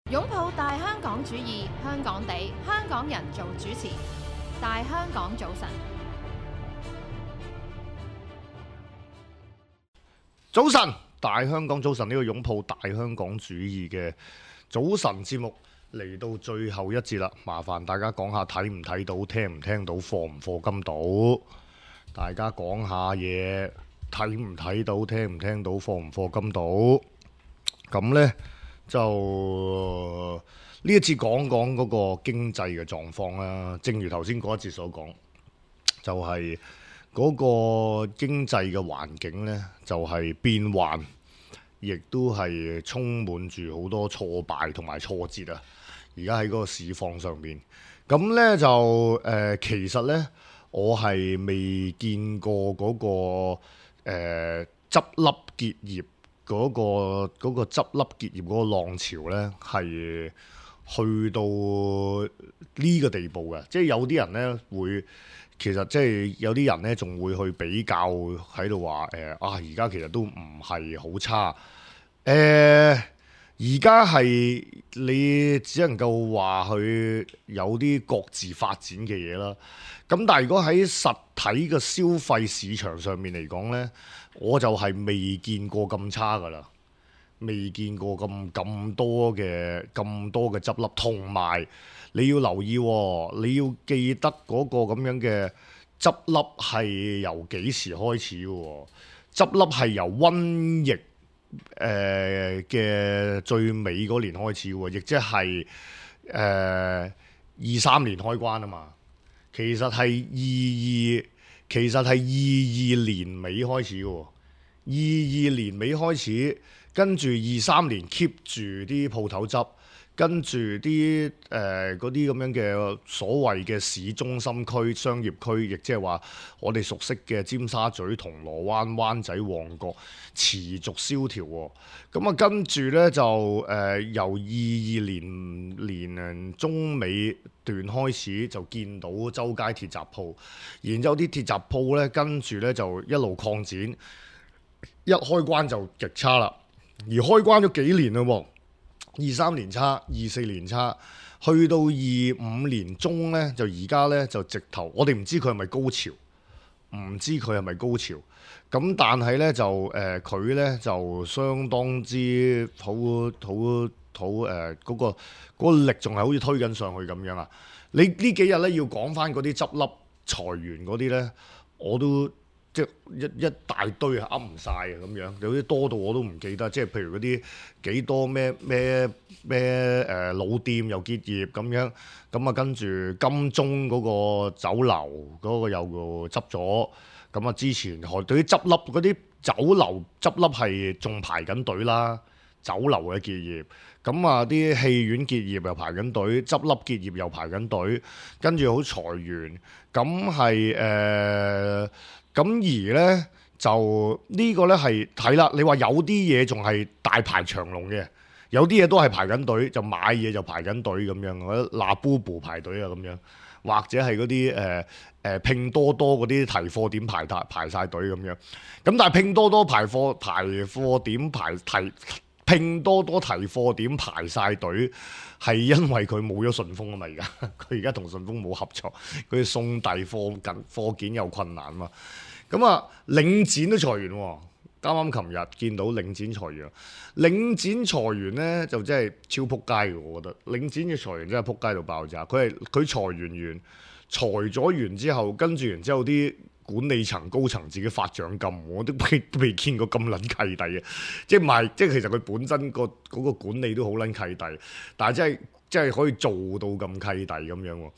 擁抱大香港主義，香港地，香港人做主持。大香港早晨，早晨，大香港早晨，呢個擁抱大香港主義嘅早晨節目嚟到最後一節啦，麻煩大家講下睇唔睇到、聽唔聽到、課唔課金到，大家講下嘢，睇唔睇到、聽唔聽到、課唔課金到，咁呢，就呢一次講講嗰個經濟嘅狀況啦。正如頭先嗰一節所講，就係嗰個經濟嘅環境呢，就係變幻，亦都係充滿住好多挫敗同埋挫折啊！而家喺嗰個市況上面，咁呢就其實呢，我係未見過嗰個執笠結業嗰個執笠結業嗰個浪潮呢，係去到呢個地步嘅。即係有啲人呢會，其實即係有啲人呢仲會去比較喺度話而家其實都唔係好差。而家係你只能夠話佢有啲各自發展嘅嘢啦。咁但係如果喺實體嘅消費市場上面嚟講呢，我就係未見過咁差㗎啦，未見過咁多嘅執笠。同埋你要留意喎，你要記得嗰個咁樣嘅執笠係由幾時開始嘅喎？執笠係由瘟疫嘅最尾嗰年開始喎，亦即係23年開關啊嘛。其實係22年尾開始嘅喎，22年尾開始，跟住23年 keep 住啲鋪頭執，跟住啲嗰啲咁樣嘅所謂嘅市中心區、商業區，亦即係話我哋熟悉嘅尖沙咀、銅鑼灣、灣仔、旺角持續蕭條喎。咁啊，跟住呢，就由22年中尾段開始就見到周街鐵閘鋪，然之後啲鐵閘鋪呢，跟住呢就一路擴展，一開關就極差啦。而開關咗幾年嘞喎，23年差，24年差，去到25年中呢，就而家呢，就直頭，我哋唔知佢係咪高潮，唔知佢係咪高潮。咁但係呢，就佢呢，就相當之好嗰個力仲係好似推緊上去咁樣啊！你呢幾日呢，要講翻嗰啲執笠裁員嗰啲呢，我都即係一大堆啊，噏唔晒啊咁樣，有啲多到我都唔記得。即係譬如嗰啲幾多咩老店又結業咁樣，咁啊跟住金鐘嗰個酒樓嗰個又執咗。咁啊，之前對於執笠嗰啲酒樓執笠係仲排緊隊啦，酒樓嘅結業，咁啊啲戲院結業又排緊隊，執笠結業又排緊隊，跟住好裁員，咁係咁而呢，就呢個呢係睇啦，你話有啲嘢仲係大排長龍嘅，有啲嘢都係排緊隊，就買嘢就排緊隊咁樣，或者嗱 Bubu 排隊啊咁樣，或者係嗰啲拼多多嗰啲提貨點排晒隊咁樣，咁但係拼多多提貨點排晒隊，係因為佢冇咗順豐啊嘛。佢而家同順豐冇合作，佢送遞貨件有困難嘛。咁啊，領展都裁員喎。啱啱琴日見到領展裁員，領展裁員呢就真係超撲街嘅，我覺得領展嘅裁員真係撲街到爆炸。佢裁員裁咗完之後，跟住然之後啲管理層高層自己發獎金，我都未見過咁撚契弟嘅。即係其實佢本身嗰個管理都好撚契弟，但係真係可以做到咁契弟咁樣喎。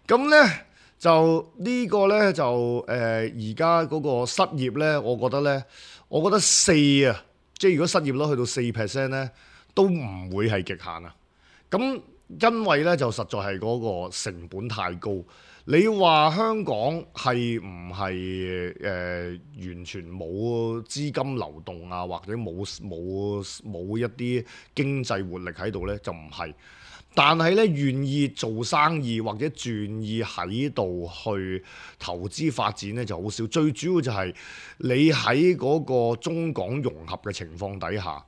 咁呢就呢個呢，就而家嗰個失業呢，我覺得4啊，即係如果失業率去到4% 呢，都唔會係極限啊。咁因為呢，就實在係嗰個成本太高。你話香港係唔係完全冇資金流動啊，或者冇一啲經濟活力喺度呢？就唔係。但係咧，願意做生意或者願意喺度去投資發展咧就好少。最主要就係你喺嗰個中港融合嘅情況底下，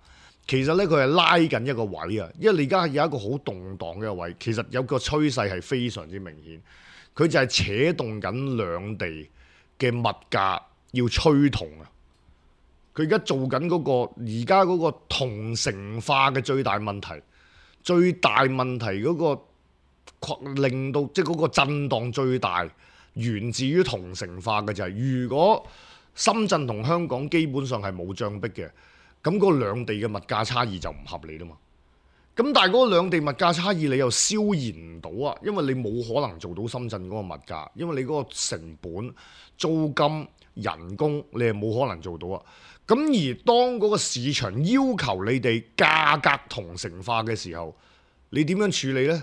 其實咧佢係拉緊一個位啊，因為你而家有一個好動盪嘅位，其實有個趨勢係非常之明顯，佢就係扯動緊兩地嘅物價要趨同啊！佢而家做緊嗰個而家嗰個同城化嘅最大問題，最大問題嗰個令到即係嗰個震盪最大，源自於同城化嘅就係，如果深圳同香港基本上係冇障壁嘅。咁嗰兩地嘅物價差異就唔合理啦嘛。咁但係嗰兩地物價差異你又消延唔到啊，因為你冇可能做到深圳嗰個物價，因為你嗰個成本、租金、人工你係冇可能做到啊。咁而當嗰個市場要求你哋價格同城化嘅時候，你點樣處理呢？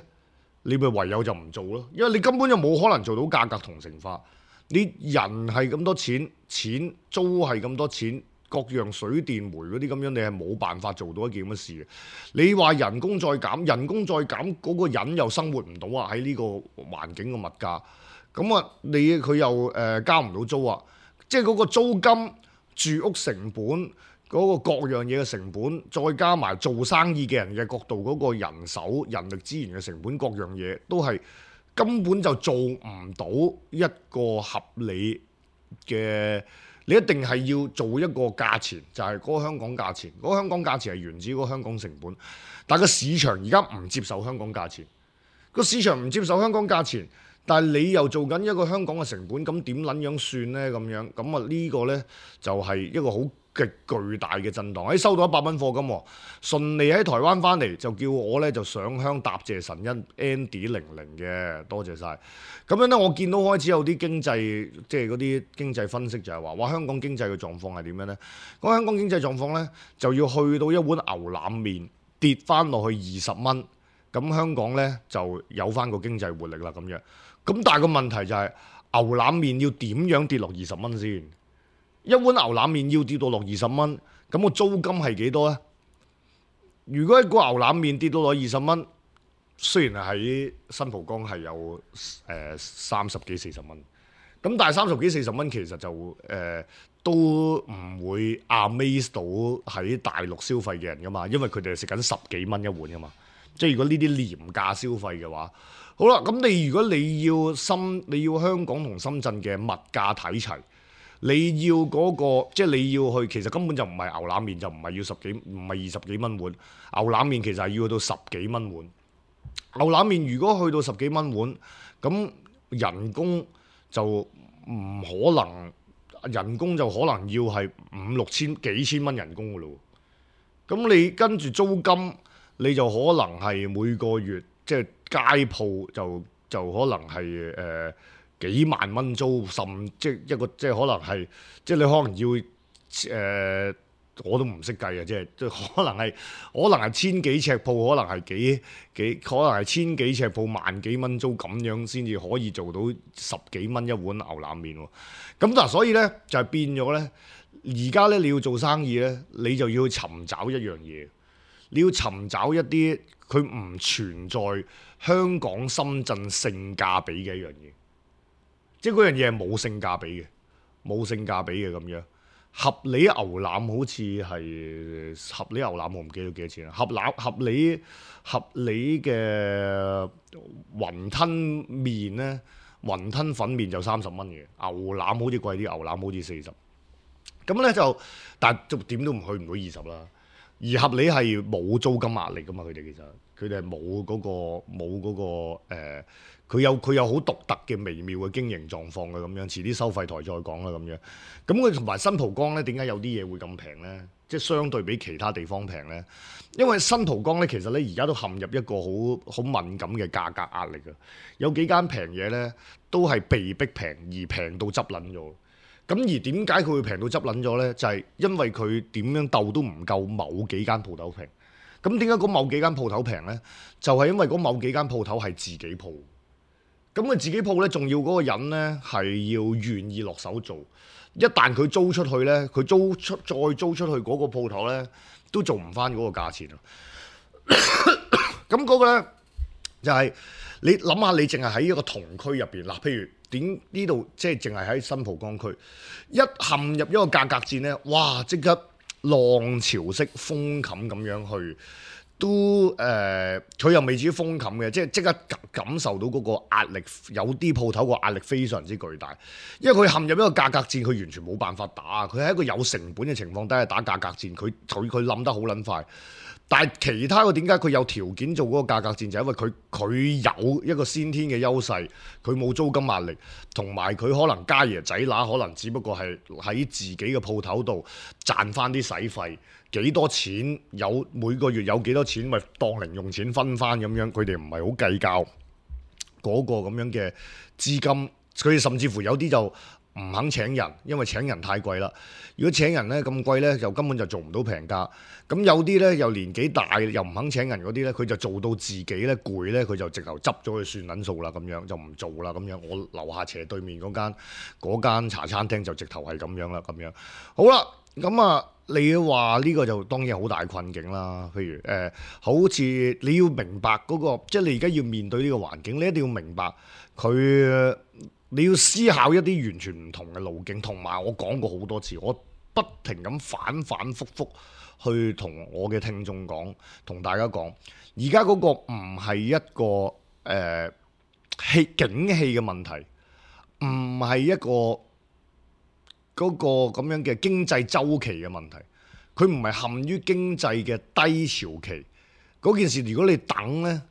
你咪唯有就唔做咯，因為你根本就冇可能做到價格同城化。你人係咁多錢，錢租係咁多錢。各樣水電煤嗰啲咁樣，你係冇辦法做到一件咁嘅事嘅。你話人工再減，人工再減，嗰個人又生活唔到啊！喺呢個環境嘅物價，咁啊，佢又交唔到租啊！即係嗰個租金、住屋成本、嗰個各樣嘢嘅成本，再加埋做生意嘅人嘅角度，嗰個人手、人力資源嘅成本，各樣嘢都係根本就做唔到一個合理嘅。你一定係要做一個價錢，就係嗰個香港價錢。嗰個香港價錢係源自嗰個香港成本，但係個市場而家唔接受香港價錢。個市場唔接受香港價錢，但係你又做緊一個香港嘅成本，咁點撚樣算呢？咁樣咁啊呢個呢，就係一個好極巨大嘅震盪。收到100蚊課金，順利喺台灣翻嚟就叫我呢就上香答謝神恩 Andy00嘅，多謝晒。咁樣呢，我見到開始有啲經濟，即係嗰啲經濟分析就係話，哇香港經濟嘅狀況係點樣呢？嗰香港經濟狀況呢，就要去到一碗牛腩麵跌翻落去20蚊，咁香港呢就有翻個經濟活力啦咁樣。咁但係個問題就係牛腩麵要點樣跌落20蚊先？一碗牛腩麵要跌到落20蚊，咁個租金係幾多呢？如果一個牛腩麵跌到落20蚊，雖然喺新蒲崗係有30幾40蚊，咁但係30幾40蚊其實就都唔會 amaze 到喺大陸消費嘅人噶嘛，因為佢哋係食緊10幾蚊一碗噶嘛。即係如果呢啲廉價消費嘅話，好啦，咁如果你要香港同深圳嘅物價睇齊。你要嗰個即係你要去，其實根本就唔係牛腩麵，就唔係要唔係20幾蚊碗。牛腩麵其實係要去到10幾蚊碗。牛腩麵如果去到10幾蚊碗，咁人工就唔可能，人工就可能要係5、6千幾千蚊人工噶咯。咁你跟住租金，你就可能係每個月即係街鋪就可能係幾萬蚊租，甚即係一個即係可能係即係你可能要我都唔識計啊！即係可能係千幾尺鋪，可能係可能係千幾尺鋪萬幾蚊租咁樣先至可以做到10幾蚊一碗牛腩麵喎。咁嗱，所以咧就係變咗咧，而家咧你要做生意咧，你就要去尋找一樣嘢，你要尋找一啲佢唔存在香港、深圳性價比嘅一樣嘢。即係嗰樣嘢係冇性價比嘅，冇性價比嘅咁樣。合理牛腩好似係合理牛腩，我唔記得幾多錢啦。合理嘅雲吞麵咧，雲吞粉麵就30蚊嘅，牛腩好似貴啲，牛腩好似40。咁咧就，但係點都唔去唔到20啦。而合理係冇租金壓力噶嘛，佢哋其實佢哋係冇嗰個佢有好獨特嘅微妙嘅經營狀況嘅咁樣，遲啲收費台再講啦咁樣。咁佢同埋新蒲崗咧，點解有啲嘢會咁平咧？即係相對比其他地方平咧，因為新蒲崗咧其實咧而家都陷入一個好敏感嘅價格壓力啊！有幾間平嘢咧都係被逼平，而平到執撚咗。咁而點解佢會平到執撚咗咧？就係因為佢點樣鬥都唔夠某幾間鋪頭平。咁點解嗰某幾間鋪頭平咧？就係因為嗰某幾間鋪頭係自己鋪。咁佢自己鋪咧，仲要嗰個人咧係要願意落手做。一旦佢租出去咧，佢再租出去嗰個鋪頭咧，都做唔翻嗰個價錢啊！咁嗰個咧就係你諗下，你淨係喺一個同區入邊嗱，譬如點呢度即係淨係喺新蒲崗區，一陷入一個價格戰咧，哇！即刻浪潮式封冚咁樣去。都佢又未至於封冚嘅，即刻感受到嗰個壓力，有啲鋪頭個壓力非常之巨大，因為佢陷入一個價格戰，佢完全冇辦法打，佢喺一個有成本嘅情況底下打價格戰，佢冧得好撚快。但係其他嘅點解佢有條件做嗰個價格戰，就係因為佢有一個先天嘅優勢，佢冇租金壓力，同埋佢可能家爺仔乸可能只不過係喺自己嘅鋪頭度賺翻啲使費。幾多錢有每個月有幾多錢，咪當零用錢分翻咁樣。佢哋唔係好計較嗰個咁樣嘅資金，佢哋甚至乎有啲就唔肯請人，因為請人太貴啦。如果請人呢咁貴呢，就根本就做唔到平價。咁有啲呢又年紀大又唔肯請人嗰啲呢，佢就做到自己呢攰呢，佢就直頭執咗佢算撚數啦，咁樣就唔做啦咁樣。我樓下斜對面嗰間茶餐廳就直頭係咁樣啦，咁樣好啦。咁啊，你話呢個就當然好大困境啦。譬如好似你要明白嗰個，即係你而家要面對呢個環境，你一定要明白佢，你要思考一啲完全唔同嘅路徑。同埋我講過好多次，我不停咁反復去同我嘅聽眾講，同大家講，而家嗰個唔係一個景氣嘅問題，唔係一個嗰個咁樣嘅經濟週期嘅問題，佢唔係陷於經濟嘅低潮期嗰件事。如果你等呢，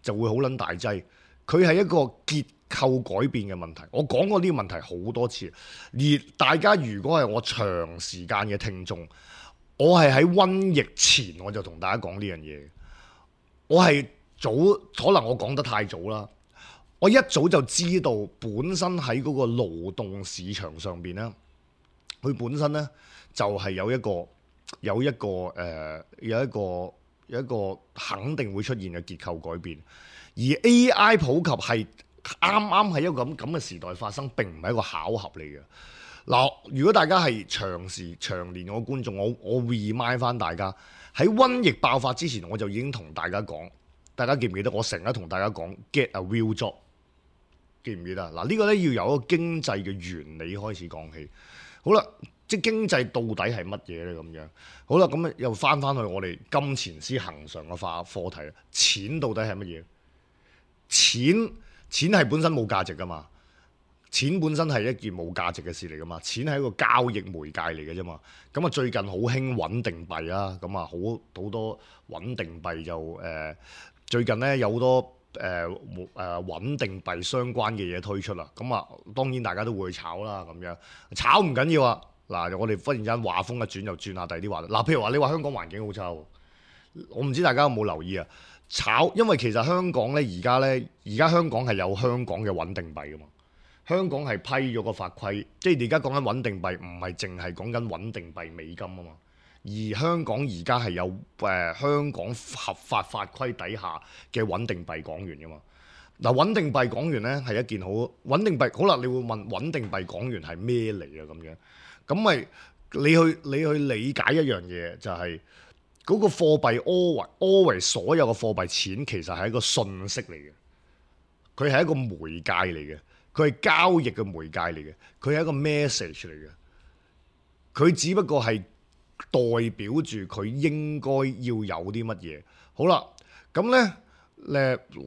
就會好撚大劑。佢係一個結構改變嘅問題。我講過呢個問題好多次，而大家如果係我長時間嘅聽眾，我係喺瘟疫前我就同大家講呢樣嘢。我係早，可能我講得太早啦。我一早就知道，本身喺嗰個勞動市場上邊呢。佢本身咧就係有一個肯定會出現嘅結構改變，而 AI 普及係啱喺一個咁嘅時代發生，並唔係一個巧合嚟嘅。嗱，如果大家係長年我觀眾，我 remind 翻大家喺瘟疫爆發之前，我就已經同大家講，大家記唔記得？我成日同大家講 get a real job， 記唔記得？嗱，呢個咧要由一個經濟嘅原理開始講起。好啦，即係經濟到底係乜嘢咧？咁樣好啦，咁又翻去我哋金錢師恆常嘅課題啦。錢到底係乜嘢？錢係本身冇價值噶嘛？錢本身係一件冇價值嘅事嚟噶嘛？錢係一個交易媒介嚟嘅啫嘛。咁啊，最近好興穩定幣啦，咁啊好多穩定幣就最近咧有好多穩定幣相關嘅嘢推出啦，咁啊當然大家都會去炒啦，咁樣炒唔緊要啊。嗱，我哋忽然間話風一轉，又轉下第二啲話題。嗱，譬如話你話香港環境好差，我唔知大家有冇留意啊？炒，因為其實香港咧而家香港係有香港嘅穩定幣噶嘛。香港係批咗個法規，即係而家講緊穩定幣，唔係淨係講緊穩定幣美金啊嘛。而香港而家係有香港合法法規底下嘅穩定幣港元噶嘛。嗱，穩定幣港元咧係一件好穩定幣。好啦，你會問穩定幣港元係咩嚟啊？咁樣咁咪你去理解一樣嘢，就係嗰個貨幣 always 所有嘅貨幣錢其實係一個信息嚟嘅，佢係一個媒介嚟嘅，佢係交易嘅媒介嚟嘅，佢係一個 message 嚟嘅，佢只不過係代表住佢應該要有啲乜嘢。好啦，咁咧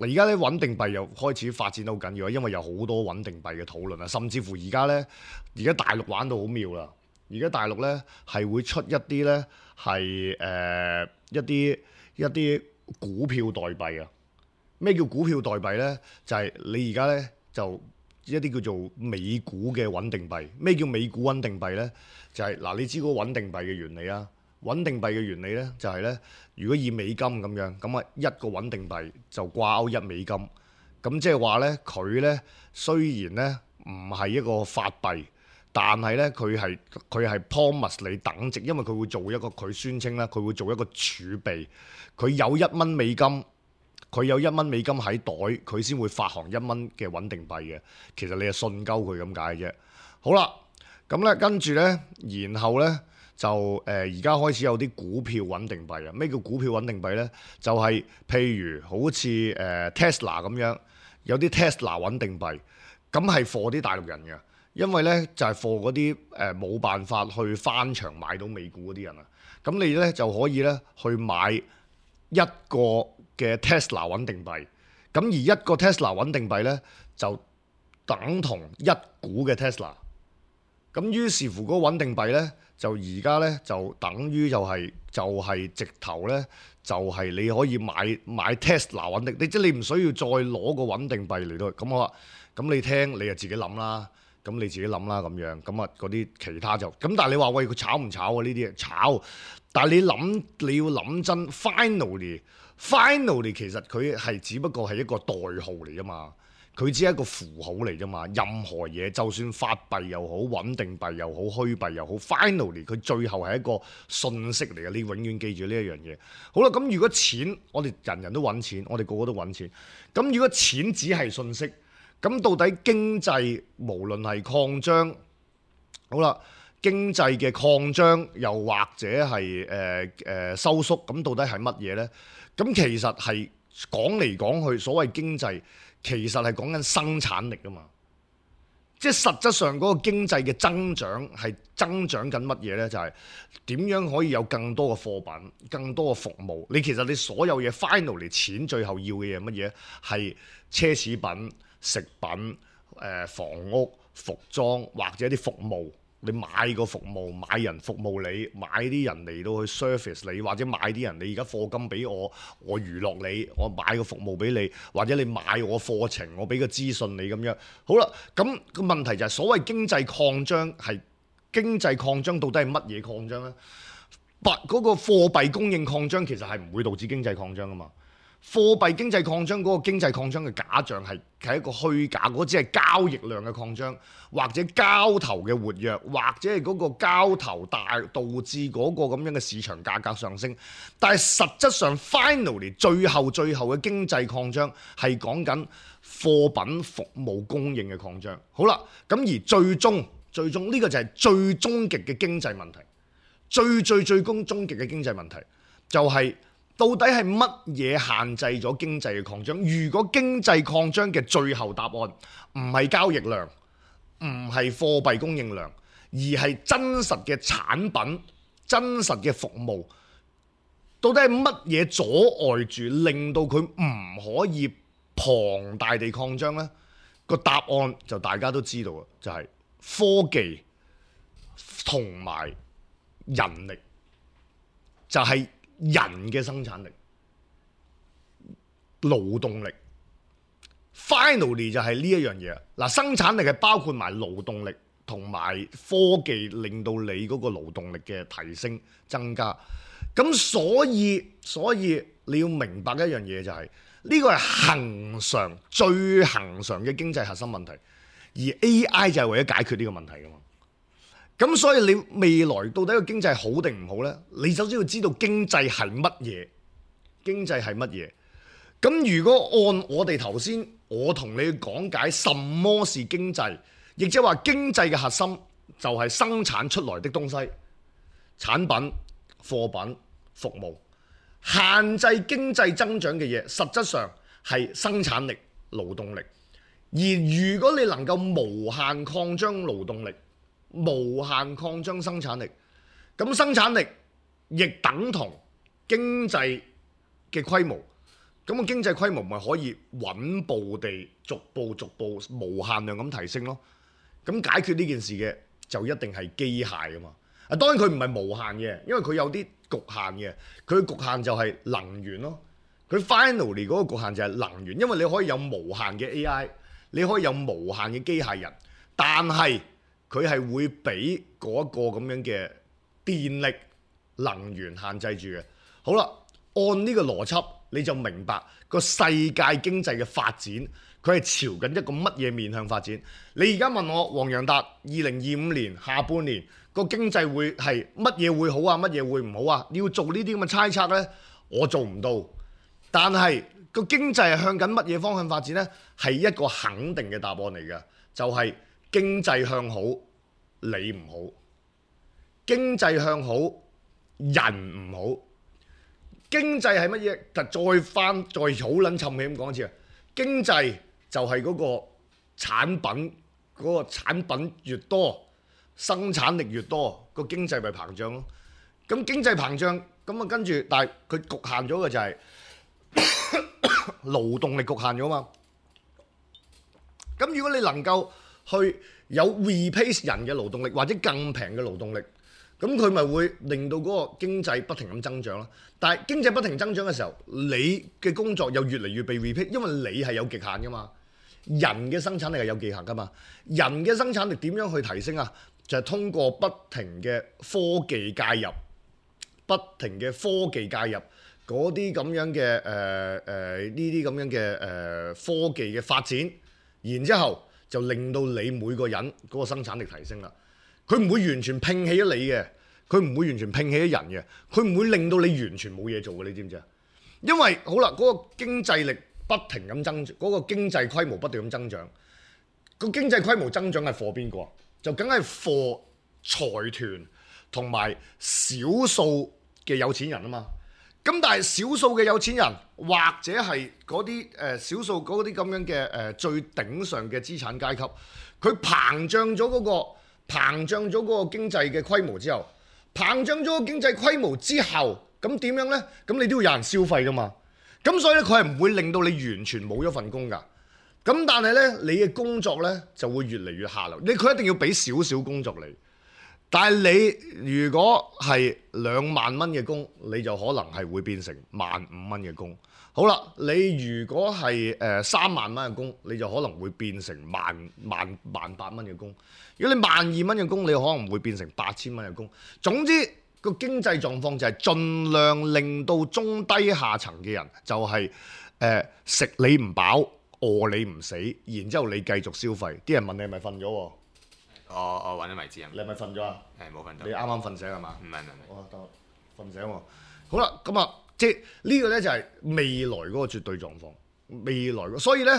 而家咧穩定幣又開始發展得好緊要，因為有好多穩定幣嘅討論啊，甚至乎而家大陸玩到好妙啦。而家大陸咧係會出一啲咧係一啲股票代幣啊。咩叫股票代幣咧？就係你而家咧就一啲叫做美股嘅穩定幣。咩叫美股穩定幣咧？就係嗱，你知嗰個穩定幣嘅原理啊。穩定幣嘅原理咧就係咧，如果以美金咁樣，咁啊一個穩定幣就掛鈎1美金。咁即係話咧，佢咧雖然咧唔係一個法幣，但係咧佢係 promise 你等值，因為佢會做一個，佢宣稱咧佢會做一個儲備。佢有1蚊美金，佢有1蚊美金喺袋，佢先會發行1蚊嘅穩定幣嘅。其實你係信鳩佢咁解啫。好啦，咁咧跟住咧，然後咧就而家開始有啲股票穩定幣啊。咩叫股票穩定幣咧？就係譬如好似Tesla 咁樣，有啲 Tesla 穩定幣，咁係貨啲大陸人嘅。因為咧就係貨嗰啲冇辦法去翻牆買到美股嗰啲人啊。咁咁你咧就可以咧去買一個嘅 Tesla 穩定幣。咁而一個 Tesla 穩定幣咧就等同一股嘅 Tesla。咁於是乎嗰個穩定幣咧就而家咧就等於就係直頭咧就係你可以買 Tesla 穩定，即係你唔需要再攞個穩定幣嚟到。咁好啦，咁你聽你就自己諗啦。咁你自己諗啦咁樣，咁啊嗰啲其他就咁。但係你話喂佢炒唔炒啊？呢啲嘢炒，但係你要諗真 finally 其實佢係只不過係一個代號嚟啫嘛，佢只係一個符號嚟啫嘛。任何嘢就算法幣又好，穩定幣又好，虛幣又好 finally 佢最後係一個信息嚟嘅。你永遠記住呢一樣嘢。好啦，咁如果錢我哋人人都揾錢，我哋個個都揾錢，咁如果錢只係信息，咁到底經濟無論係擴張，好啦，經濟嘅擴張又或者係收縮，咁到底係乜嘢呢？咁其實係講嚟講去，所謂經濟其實係講緊生產力啊嘛。即係實質上嗰個經濟嘅增長係增長緊乜嘢呢？就係點樣可以有更多嘅貨品、更多嘅服務。其實你所有嘢 finally 錢最後要嘅嘢乜嘢？係奢侈品、食品、房屋、服裝或者啲服務。你買個服務，買人服務你，買啲人嚟到去 service 你，或者買啲人你而家課金俾我，我娛樂你，我買個服務俾你，或者你買我課程，我俾個資訊你咁樣。好啦，咁個問題就係所謂經濟擴張係經濟擴張到底係乜嘢擴張呢？嗰個貨幣供應擴張其實係唔會導致經濟擴張噶嘛。貨幣經濟擴張嗰個經濟擴張嘅假象係一個虛假，嗰只係交易量嘅擴張，或者交投嘅活躍，或者係嗰個交投導致嗰個咁樣嘅市場價格上升。但係實質上 finally 最後嘅經濟擴張係講緊貨品服務供應嘅擴張。好啦，咁而最終呢個就係最終極嘅經濟問題，最終極嘅經濟問題就係到底係乜嘢限制咗經濟嘅擴張？如果經濟擴張嘅最後答案唔係交易量，唔係貨幣供應量，而係真實嘅產品、真實嘅服務，到底係乜嘢阻礙住令到佢唔可以龐大地擴張呢？個答案就大家都知道嘅，就係科技同埋人力，就係人嘅生產力、勞動力 ，finally 就係呢一樣嘢。嗱，生產力係包括埋勞動力同埋科技，令到你嗰個勞動力嘅提升增加。咁所以你要明白一樣嘢就係呢個係最恆常嘅經濟核心問題，而 AI 就係為咗解決呢個問題㗎嘛。咁所以你未來到底個經濟好定唔好呢？你首先要知道經濟係乜嘢，經濟係乜嘢。咁如果按我哋頭先我同你講解什麼是經濟，亦即係話經濟嘅核心就係生產出來的東西、產品、貨品、服務。限制經濟增長嘅嘢，實質上係生產力、勞動力。而如果你能夠無限擴張勞動力，無限擴張生產力，咁生產力亦等同經濟嘅規模，咁個經濟規模咪可以穩步地逐步無限量咁提升咯。咁解決呢件事嘅就一定係機械㗎嘛。當然佢唔係無限嘅，因為佢有啲局限嘅。佢局限就係能源咯。佢 finally 嗰個局限就係能源，因為你可以有無限嘅 AI， 你可以有無限嘅機械人，但係佢係會俾嗰一個咁樣嘅電力能源限制住嘅。好啦，按呢個邏輯，你就明白個世界經濟嘅發展，佢係朝緊一個乜嘢面向發展？你而家問我黃洋達2025年下半年個經濟會係乜嘢會好啊？乜嘢會唔好啊？你要做呢啲咁嘅猜測呢，我做唔到。但係個經濟係向緊乜嘢方向發展呢？係一個肯定嘅答案嚟嘅，就係經濟向好，你唔好；經濟向好，人唔好。經濟係乜嘢？再好撚沉氣咁講一次啊！經濟就係嗰個產品，嗰個產品越多，生產力越多，個經濟咪膨脹咯。咁經濟膨脹，咁啊跟住，但係佢局限咗嘅就係勞動力局限咗嘛。咁如果你能夠去有 replace 人嘅勞動力或者更平嘅勞動力，咁佢咪會令到嗰個經濟不停咁增長咯。但係經濟不停增長嘅時候，你嘅工作又越嚟越被 replace，因為你係有極限噶嘛。人嘅生產力係有極限噶嘛。人嘅生產力點樣去提升啊？就係通過不停嘅科技介入，不停嘅科技介入嗰啲咁樣嘅呢啲咁樣嘅科技嘅發展，然之後就令到你每個人嗰個生產力提升啦。佢唔會完全摒棄咗你嘅，佢唔會完全摒棄咗人嘅，佢唔會令到你完全冇嘢做嘅，你知唔知啊？因為好啦，嗰個經濟力不停咁增長，嗰個經濟規模不斷咁增長，個經濟規模增長係貨邊個？就梗係貨財團同埋少數嘅有錢人啊嘛。咁但係少數嘅有錢人或者係嗰啲少數嗰啲咁樣嘅最頂上嘅資產階級，佢膨脹咗嗰個經濟嘅規模之後，膨脹咗個經濟規模之後，咁點樣呢？咁你都要有人消費噶嘛。咁所以咧，佢係唔會令到你完全冇咗份工噶。咁但係咧，你嘅工作咧就會越嚟越下流。佢一定要俾少少工作你。但係你如果係2萬蚊嘅工，你就可能係會變成15000蚊嘅工。好啦，你如果係3萬蚊嘅工，你就可能會變成18000蚊嘅工。如果你12000蚊嘅工，你可能會變成8000蚊嘅工。總之個經濟狀況就係盡量令到中低下層嘅人就係食你唔飽，餓你唔死，然之後你繼續消費。啲人問你係咪瞓咗喎？我揾咗位置啊！你係咪瞓咗啊？係冇瞓到。你啱啱瞓醒係嘛？唔係。哦，得瞓醒喎。好啦，咁啊，即係呢個咧就係未來嗰個絕對狀況。未來，所以咧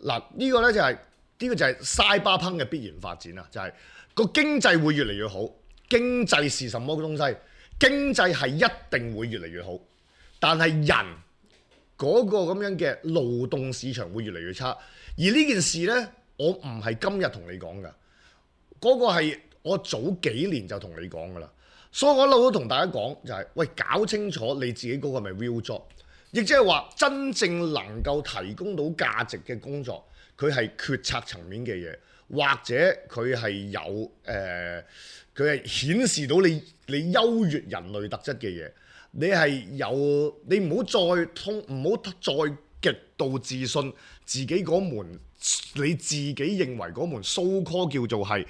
嗱，呢個咧就係呢個就係 Cyberpunk 嘅必然發展啊！就係個經濟會越嚟越好。經濟是什麼東西？經濟係一定會越嚟越好，但係人嗰個咁樣嘅勞動市場會越嚟越差。而呢件事呢，我唔係今日同你講噶，嗰個係我早幾年就同你講噶啦。所以我一路都同大家講就係，喂，搞清楚你自己嗰個係咪 real job，亦即係話真正能夠提供到價值嘅工作，佢係決策層面嘅嘢，或者佢係有佢係顯示到你優越人類特質嘅嘢，你係有，你唔好再極度自信自己嗰門，你自己認為嗰門 so call 叫做係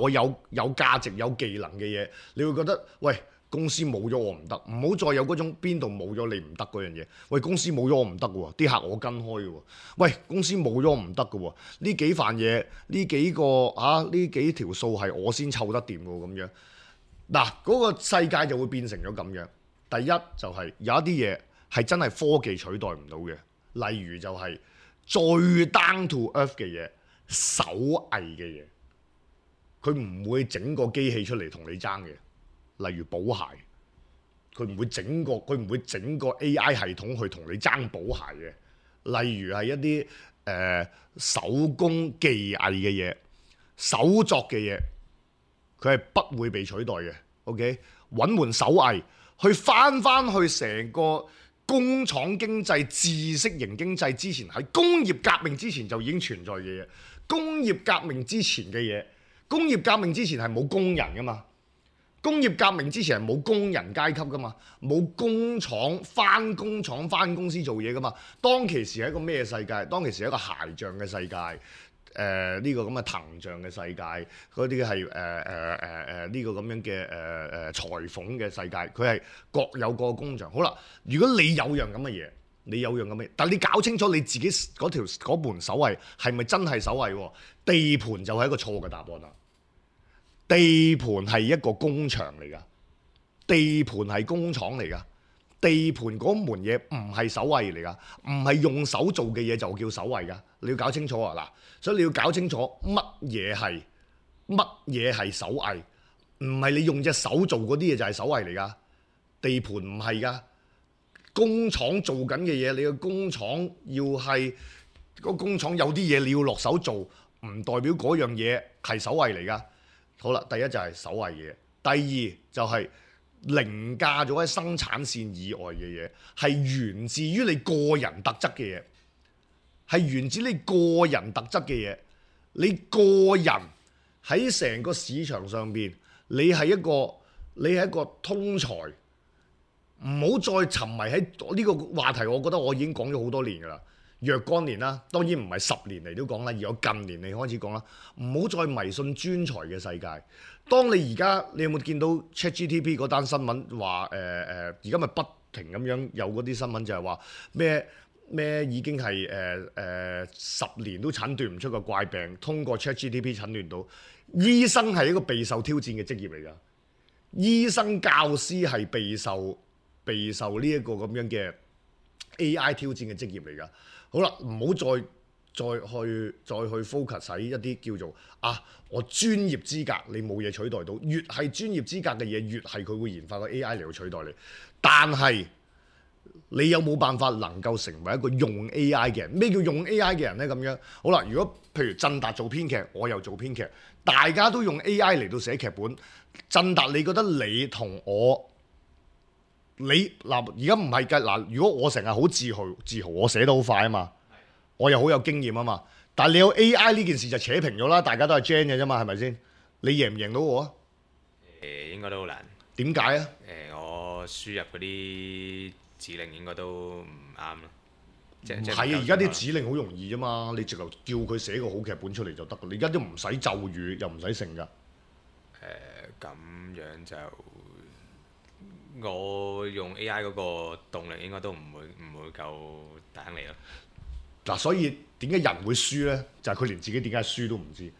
我有價值有技能嘅嘢，你會覺得喂，公司冇咗我唔得，唔好再有嗰種邊度冇咗你唔得嗰樣嘢。喂，公司冇咗我唔得喎，啲客我跟開嘅喎。喂，公司冇咗我唔得嘅喎，呢幾份嘢，呢幾個呢幾條數係我先湊得掂嘅喎，咁樣。嗱，嗰個世界就會變成咗咁樣。第一就係有一啲嘢係真係科技取代唔到嘅，例如就係最 down to earth 嘅嘢，手藝嘅嘢，佢唔會整個機器出嚟同你爭嘅。例如補鞋，佢唔會整個 AI 系統去同你爭補鞋嘅。例如係一啲手工技藝嘅嘢、手作嘅嘢，佢係不會被取代嘅。OK， 揾門手藝去翻去成個工廠經濟、知識型經濟之前，喺工業革命之前就已經存在嘅嘢。工業革命之前嘅嘢，工業革命之前係冇工人噶嘛。工業革命之前係冇工人階級噶嘛，冇工廠翻工廠翻公司做嘢噶嘛。當其時係一個咩世界？當其時係一個鞋匠嘅世界，呢個咁嘅藤匠嘅世界，嗰啲係呢個咁樣嘅裁縫嘅世界，佢係各有各工場。好啦，如果你有樣咁嘅嘢，你有樣咁嘅，但係你搞清楚你自己嗰門手藝係咪真係手藝？地盤就係一個錯嘅答案啦。地盤係一個工場嚟㗎，地盤係工廠嚟㗎，地盤嗰門嘢唔係手藝嚟㗎，唔係用手做嘅嘢就叫手藝㗎，你要搞清楚啊！嗱，所以你要搞清楚乜嘢係手藝，唔係你用隻手做嗰啲嘢就係手藝嚟㗎，地盤唔係㗎，工廠做緊嘅嘢，你個工廠要係個工廠有啲嘢你要落手做，唔代表嗰樣嘢係手藝嚟㗎。好啦，第一就係手藝嘢，第二就係凌駕咗喺生產線以外嘅嘢，係源自於你個人特質嘅嘢，係源自你個人特質嘅嘢。你個人喺成個市場上邊，你係一個通才，唔好再沉迷喺呢個話題。我覺得我已經講咗好多年㗎啦，若干年啦，當然唔係10年嚟都講啦，而我近年嚟開始講啦，唔好再迷信專才嘅世界。當你而家你有冇見到 ChatGPT 嗰單新聞話而家咪不停咁樣有嗰啲新聞就係話咩已經係10年都診斷唔出個怪病，通過 ChatGPT 診斷到。醫生係一個備受挑戰嘅職業嚟㗎，醫生教師係備受呢一個咁樣嘅 AI 挑戰嘅職業嚟㗎。好啦，唔好再去 focus 喺一啲叫做我專業資格，你冇嘢取代到。越係專業資格嘅嘢，越係佢會研發個 AI 嚟去取代你。但係你有冇辦法能夠成為一個用 AI 嘅人？咩叫用 AI 嘅人呢？咁樣好啦，如果譬如振達做編劇，我又做編劇，大家都用 AI 嚟到寫劇本。振達，你覺得你同我，而家唔係㗎嗱？如果我成日好自豪，我寫得好快啊嘛，我又好有經驗啊嘛。但係你有 AI 呢件事就扯平咗啦，大家都係 Gen 嘅啫嘛，係咪先？你贏唔贏到我啊？應該都好難。點解啊？我輸入嗰啲指令應該都唔啱咯。唔係啊！而家啲指令好容易啫嘛，你直頭叫佢寫個好劇本出嚟就得㗎。你而家都唔使咒語，又唔使成㗎。咁樣就我用 AI 嗰個動力應該都唔會夠大你咯。嗱，所以點解人會輸呢？就係佢連自己點解輸都唔知。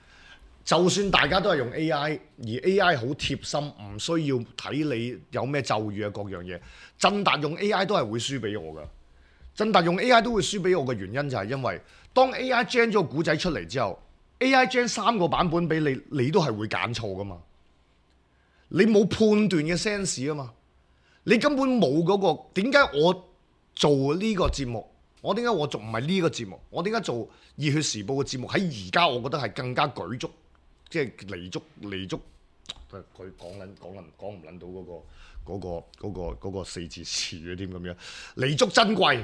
就算大家都係用 AI，而 AI 好貼心，唔需要睇你有咩咒語啊各樣嘢。振達用 AI 都係會輸俾我㗎。振達用 AI 都會輸俾我嘅原因就係因為當 AI gen 咗個故仔出嚟之後 ，AI gen 3個版本俾你，你都係會揀錯㗎嘛。你冇判斷嘅 sense 啊嘛，你根本冇嗰個。點解我做呢個節目？我點解我做唔係呢個節目？我點解做熱血時報嘅節目？喺而家我覺得係更加舉足，即係彌足。佢講唔撚到嗰個4字詞嘅添咁樣，彌足珍貴。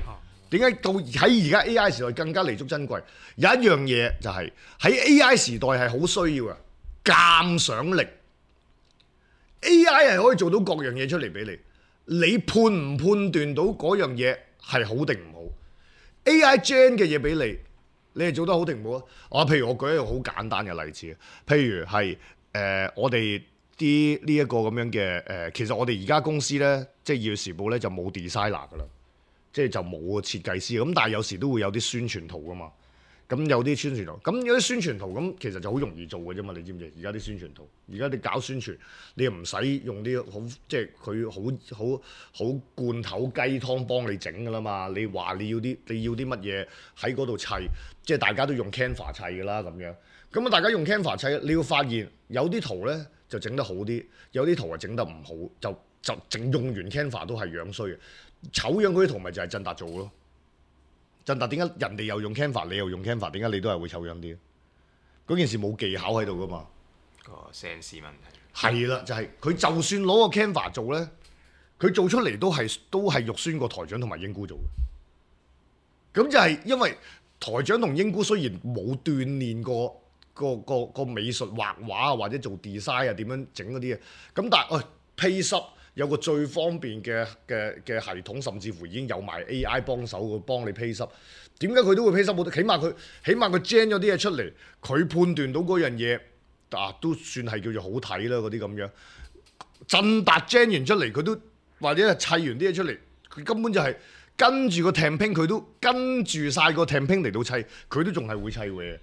點解到喺而家 AI 時代更加彌足珍貴？有一樣嘢就係喺 AI 時代係好需要嘅鑑賞力。AI 係可以做到各樣嘢出嚟俾你，你判唔判斷到嗰樣嘢係好定唔好 ？AI gen 嘅嘢俾你，你係做得好定唔好啊？譬如我舉一個好簡單嘅例子，譬如係我哋啲呢一個咁樣嘅其實我哋而家公司咧，即係《熱血時報》咧就冇 designer 噶啦，即係就冇設計師咁，但係有時都會有啲宣傳圖噶嘛。咁有啲宣傳圖，咁有啲宣傳圖咁，其實就好容易做嘅啫嘛。你知唔知？而家啲宣傳圖，而家你搞宣傳，你又唔使用啲好，即係佢好罐頭雞湯幫你整噶啦嘛。你話你要啲乜嘢喺嗰度砌，即係大家都用 Canva 砌噶啦咁樣。咁啊，大家用 Canva 砌，你要發現有啲圖咧就整得好啲，有啲圖係整得唔好，就整用完 Canva 都係樣衰嘅，醜樣嗰啲圖咪就係振達做咯。振達點解人哋又用 Canva， 你又用 Canva， 點解你都係會醜樣啲？嗰件事冇技巧喺度噶嘛？個 sense 問題係啦，就係佢就算攞個 Canva 做咧，佢做出嚟都係肉酸過台長同埋英姑做嘅。咁就係因為台長同英姑雖然冇鍛鍊過個美術畫畫啊，或者做 design 啊點樣整嗰啲嘢，咁但係Payslip有個最方便嘅系統，甚至乎已經有埋 AI 幫手幫你 Payslip。點解佢都會 Payslip？起碼佢 gen 咗啲嘢出嚟，佢判斷到嗰樣嘢都算係叫做好睇啦嗰啲咁樣。振達 gen 完出嚟，佢都或者係砌完啲嘢出嚟，佢根本就係跟住個 template，佢都跟住晒個 template 嚟到砌，佢都仲係會砌嘅。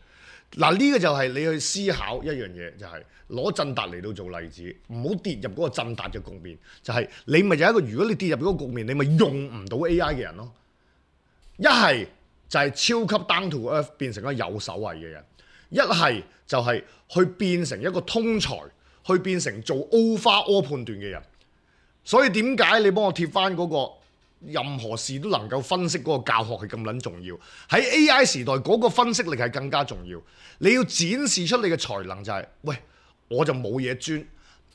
嗱，呢個就係你去思考一樣嘢，就係攞振達嚟到做例子，唔好跌入嗰個振達嘅局面。就係你咪有一個，如果你跌入嗰個局面，你咪用唔到 AI 嘅人咯。一係就係超級 down to earth 變成一個有手藝嘅人，一係就係去變成一個通才，去變成做 overall 判斷嘅人。所以點解你幫我貼翻嗰個任何事都能夠分析嗰個教學係咁撚重要？喺 AI 時代嗰個分析力係更加重要。你要展示出你嘅才能就係，喂，我就冇嘢專，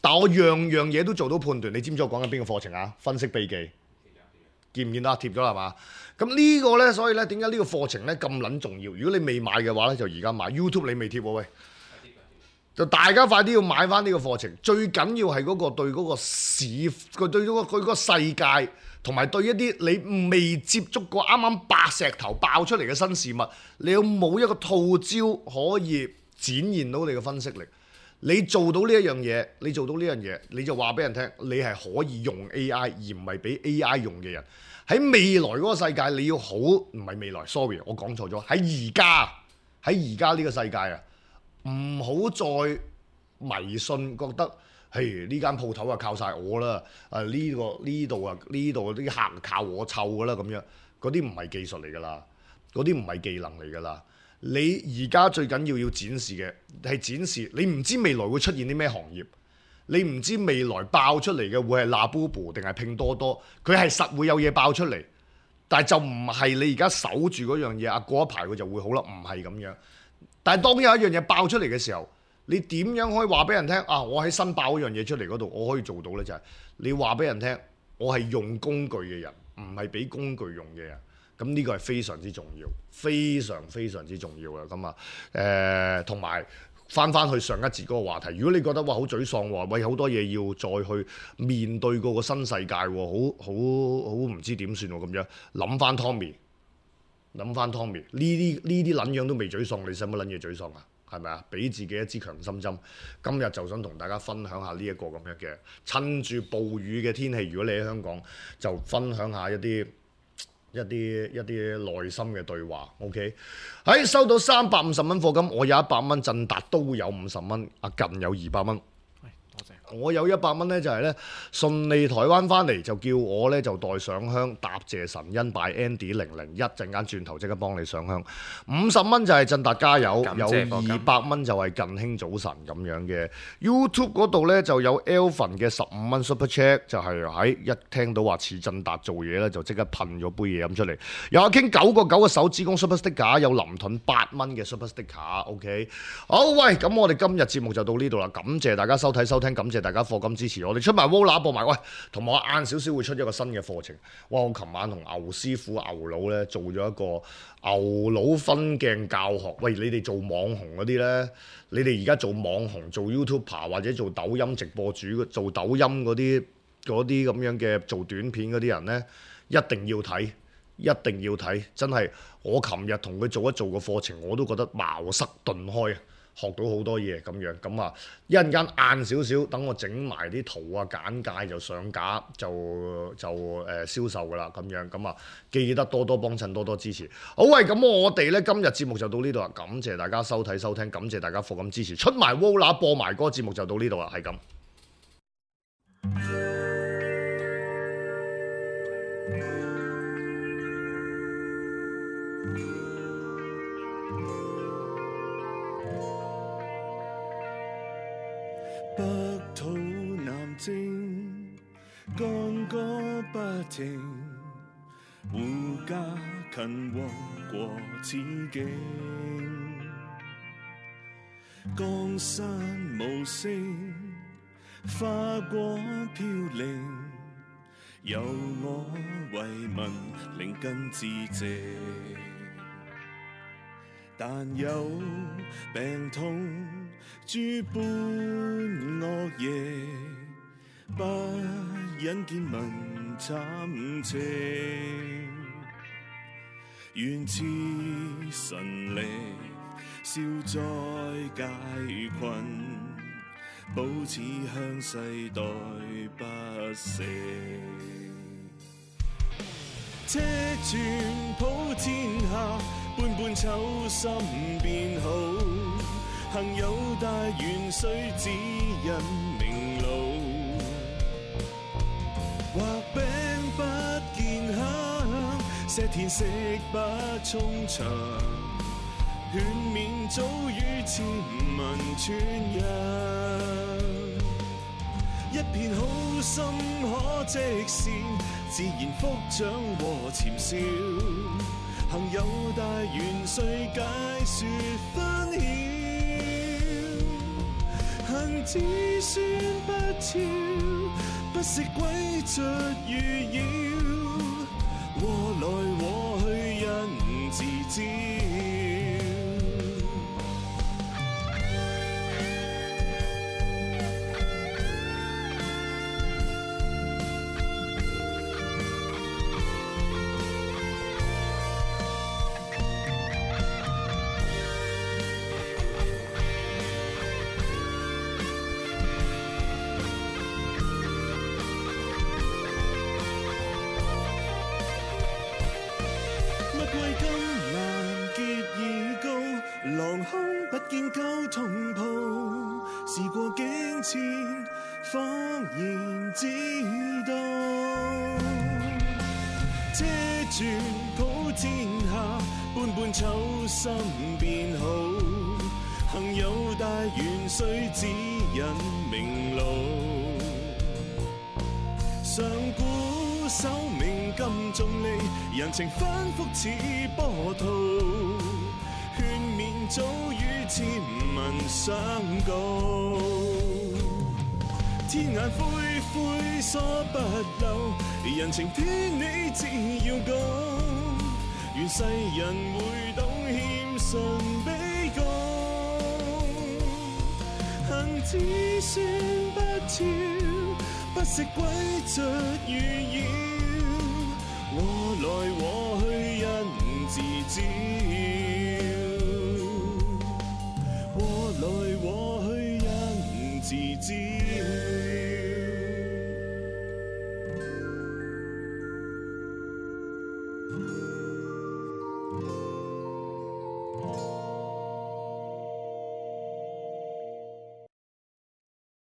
但我樣樣嘢都做到判斷。你知唔知我講緊邊個課程啊？分析秘技，見唔見到貼咗啦嘛？咁呢個呢，所以呢，點解呢個課程呢咁撚重要？如果你未買嘅話呢，就而家買。YouTube 你未貼喎喂，就大家快啲要買翻呢個課程。最緊要係嗰個對嗰個市，佢對嗰個世界，同埋對一啲你未接觸過啱啱白石頭爆出嚟嘅新事物，你有冇一個套招可以展現到你嘅分析力？你做到呢一樣嘢，你做到呢樣嘢，你就話俾人聽，你係可以用 AI 而唔係俾 AI 用嘅人。喺未來嗰個世界，你要好，唔係未來 ，sorry， 我講錯咗。喺而家呢個世界啊，唔好再迷信，覺得係呢間鋪頭啊靠晒我啦，呢度啲客靠我湊噶啦咁樣，嗰啲唔係技術嚟噶啦，嗰啲唔係技能嚟噶啦。你而家最緊要展示嘅係展示，你唔知未來會出現啲咩行業，你唔知未來爆出嚟嘅會係 Labubu 定係拼多多，佢係實會有嘢爆出嚟，但係就唔係你而家守住嗰樣嘢啊，過一排佢就會好啦，唔係咁樣。但係當有一樣嘢爆出嚟嘅時候，你點樣可以話俾人聽啊？我喺新爆嗰樣嘢出嚟嗰度，我可以做到呢？就係你話俾人聽，我係用工具嘅人，唔係俾工具用嘅人。咁呢個係非常之重要，非常非常之重要嘅。咁啊，同埋翻去上一節嗰個話題，如果你覺得哇好沮喪喎，喂好多嘢要再去面對嗰個新世界喎，好唔知點算喎咁樣，諗翻 Tommy，呢啲撚樣都未沮喪，你使乜撚嘢沮喪啊？係咪啊？俾自己一支強心針。今日就想同大家分享下呢一個咁樣嘅，趁住暴雨嘅天氣，如果你喺香港，就分享下一啲內心嘅對話 ，OK？ 喺收到350蚊課金，我有100蚊，振達都有50蚊，阿近有200蚊。多謝。我有100蚊呢，就係呢順利台灣翻嚟，就叫我呢，就代上香答謝神恩拜 Andy001，陣間轉頭即刻幫你上香。50蚊就係振達加油，有200蚊就係近兄早晨咁樣嘅。YouTube 嗰度呢，就有 Elvin 嘅15蚊 Super Chat， 就係喺一聽到話似振達做嘢呢，就即刻噴咗杯嘢飲出嚟。有阿傾9.9嘅手指公 Super Sticker， 有林盾8蚊嘅 Super Sticker，OK？ 好，喂，咁我哋今日節目就到呢度啦，感謝大家收睇收聽，感謝大家課金支持我哋，出埋 Vola 播埋，喂，同埋我晏少少會出一個新嘅課程。哇！我琴晚同牛師傅牛佬咧做咗一個牛佬分鏡教學。喂，你哋做網紅嗰啲咧，你哋而家做網紅、做 YouTuber 或者做抖音直播主、做抖音嗰啲咁樣嘅做短片嗰啲人咧，一定要睇，一定要睇，真係我琴日同佢做一做個課程，我都覺得茅塞頓開啊！學到好多嘢咁樣，咁啊一陣間晏少少，等我整埋啲圖啊簡介就上架就銷售噶啦咁樣，咁啊記得多多幫襯，多多支持。好，喂，咁我哋呢今日節目就到呢度啦，感謝大家收睇收聽，感謝大家課金支持，出埋 Vola 播埋嗰個節目就到呢度啦，係咁。北土南征，干戈不停，護家勤王國此境。江山無聲，花果飄零，由我為民靈根致謝。但有病痛諸般惡嘢，不忍見民慘情。願賜神力，消災解困，保此鄉世代不死。車傳普天下，般般秋心變好。幸有大元帥指引明路，畫餅不見香，石田食不充腸，勸勉早與千民傳揚。一片好心可積善，自然福長和潛兆。幸有大元帥解說分曉，恨子孫不肖，不惜詭譎預擾，禍來禍去因自招。狼空不見舊同袍，事過境遷，恍然知道。遮住普天下，般般醜心變好。幸有大元帥指引明路。上古守命金重利，人情反覆似波濤。勸勉早與千民相告，天眼灰灰疏不漏，人情天理只要講，願世人會懂謙遜卑躬，恨子孫不肖，不惜詭譎預擾。